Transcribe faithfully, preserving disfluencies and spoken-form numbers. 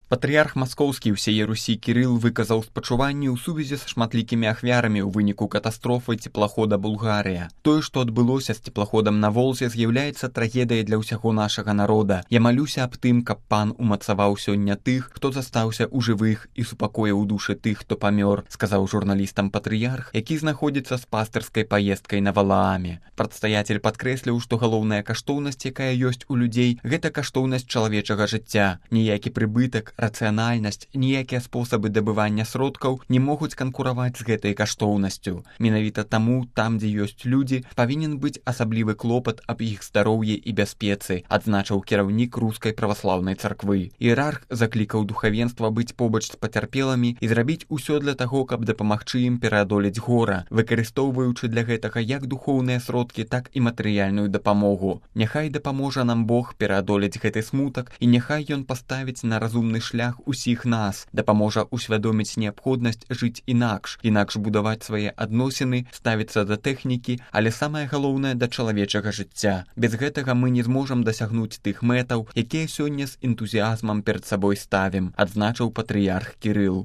Патрыярх маскоўскі ўсяе Русі Кірыл выказаў спачуванні ў сувязі з шматлікімі ахвярамі ў выніку катастрофы цеплахода «Булгарыя». Тое, што адбылося з цеплаходам на Волзе, з'яўляецца трагедыяй для ўсяго нашага народа. Я малюся аб тым, каб пан умацаваў сёння тых, хто застаўся ў жывых і супакоіў душы тых, хто памёр, сказаў журналістам патрыярх, які знаходзіцца з пастырскай паездкай на Валааме. Прадстаяцель падкрэсліў, што галоўная каштоўнасць, якая ёсць у людзей, гэта каштоўнасць чалавечага жыцця. Ніякі прыбытак, рацыянальнасць, ніякія спосабы дабывання сродкаў не могуць канкураваць з гэтай каштоўнасцю. Менавіта таму, там, дзе ёсць людзі, павінен быць асаблівы клопат аб іх здароўі і бяспецы, адзначыў кіраўнік рускай праваслаўнай царквы. Іерарх заклікаў духавенства быць побач з пацярпелымі і зрабіць усё для таго, каб дапамагчы ім пераадолець гора, выкарыстоўваючы для гэтага як духоўныя сродкі, так і матэрыяльную дапамогу. Няхай дапаможа нам Бог пераадолець гэты смутак, і няхай ён паставіць на разумны шлях усіх нас, дапаможа усвядоміць неабходнасць жыць інакш, інакш будаваць свае адносіны, ставіцца да тэхнікі, але самае галоўнае да чалавечага жыцця. Без гэтага мы не зможам дасягнуць тых мэтаў, якія сёння з энтузіазмам перад сабой ставім, адзначыў патрыярх Кірыл.